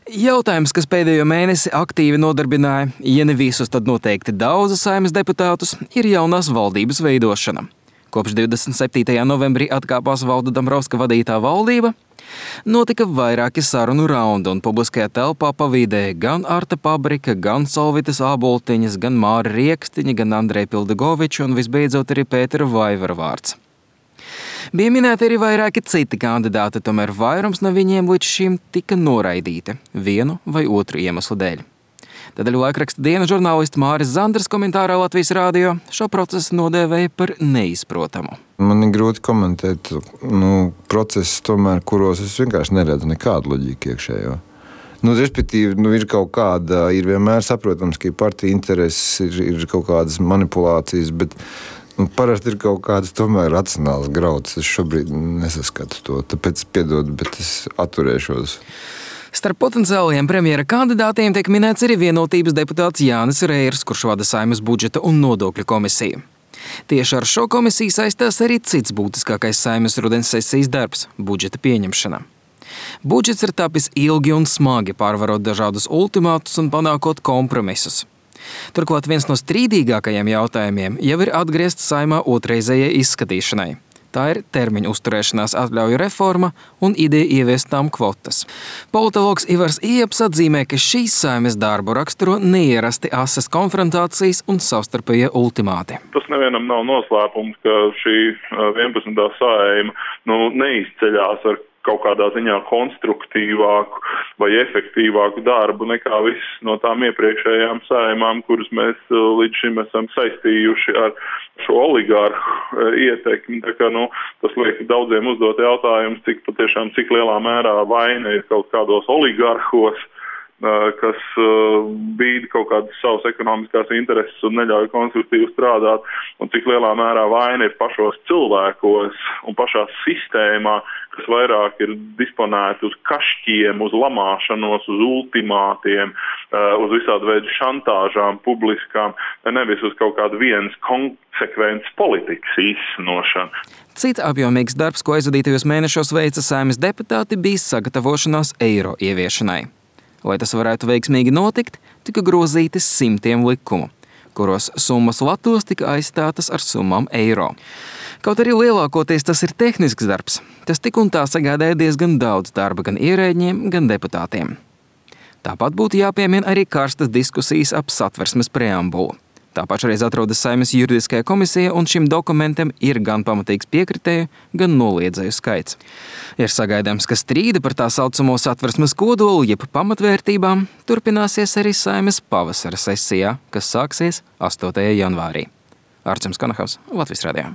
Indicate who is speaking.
Speaker 1: Jautājums, kas pēdējo mēnesi aktīvi nodarbināja, ja ne visus, tad noteikti daudzus Saeimas deputātus, ir jaunās valdības veidošana. Kopš 27. novembrī atkāpās Valda Dombrovska vadītā valdība, notika vairāki sarunu raundi un publiskajā telpā pavīdēja gan Arta Pabrika, gan Solvitas Āboltiņas, gan Māra Riekstiņa, gan Andreja Pildegoviča un visbeidzot arī Pētera Vaivara vārds. Bija minēti arī vairāki citi kandidāti, tomēr vairums no viņiem līdz šim tika noraidīti vienu vai otru iemeslu dēļ. Tādēļ laikraksta Diena žurnālists Māris Zanders komentārā Latvijas Rādio šo procesu nodēvēja par neizprotamu.
Speaker 2: Man ir grūti komentēt procesus, tomēr, kuros es vienkārši neredzu nekādu loģiku iekšējo. Respektīvi, ir kaut kāda, ir vienmēr saprotams, ka partija intereses, ir kaut kādas manipulācijas, bet parasti ir kaut kādas tomēr racionālas grauds. Es šobrīd nesaskatu to, tāpēc piedod, bet es atturēšos.
Speaker 1: Starp potenciālajiem premjera kandidātiem tiek minēts arī Vienotības deputāts Jānis Reirs, kurš vada Saeimas budžeta un nodokļu komisiju. Tieši ar šo komisiju saistās arī cits būtiskākais Saeimas rudens sesijas darbs – budžeta pieņemšana. Budžets ir tapis ilgi un smagi, pārvarot dažādus ultimātus un panākot kompromisus. Turklāt viens no strīdīgākajiem jautājumiem jau ir atgriezts Saeimā otrreizējai izskatīšanai. Tā ir termiņu uzturēšanās atļauju reforma un ideja ieviest tām kvotas. Politologs Ivars Ieps atzīmē, ka šīs Saeimas darbu raksturo neierasti asas konfrontācijas un savstarpējie ultimāti.
Speaker 3: Tas nevienam nav noslēpums, ka šī 11. Saeima neizceļās ar kaut kādā ziņā konstruktīvāku vai efektīvāku darbu nekā viss no tām iepriekšējām saeimām, kuras mēs līdz šim esam saistījuši ar šo oligārhu ietekmi. Tā kā, tas liek daudziem uzdot jautājumus, cik lielā mērā vaina ir kaut kādos oligārhos, kas bīda kaut kādas savas ekonomiskās intereses un neļauj konstruktīvi strādāt, un cik lielā mērā vaina ir pašos cilvēkos un pašā sistēmā, kas vairāk ir disponēti uz kašķiem, uz lamāšanos, uz ultimātiem, uz visādu veidu šantāžām publiskām, nevis uz kaut kādu vienas konsekvences politikas īstenošanu.
Speaker 1: Cits apjomīgs darbs, ko aizvadītajos mēnešos veica Saeimas deputāti, bija sagatavošanās eiro ieviešanai. Lai tas varētu veiksmīgi notikt, tika grozīti simtiem likumu, kuros summas latos tika aizstātas ar summām eiro. Kaut arī lielākoties tas ir tehnisks darbs, tas tik un tā sagādāja diezgan daudz darba gan ierēģiem, gan deputātiem. Tāpat būtu jāpiemina arī karstas diskusijas ap Satversmes preambulu. Tā pašreiz atrodas Saeimas juridiskajā komisija, un šim dokumentam ir gan pamatīgs piekritēju, gan noliedzēju skaits. Ir sagaidāms, ka strīda par tā saucamo Satversmes kodolu, jeb pamatvērtībām, turpināsies arī Saeimas pavasara sesijā, kas sāksies 8. janvārī. Arčuns Konahaus, Latvijas Radio.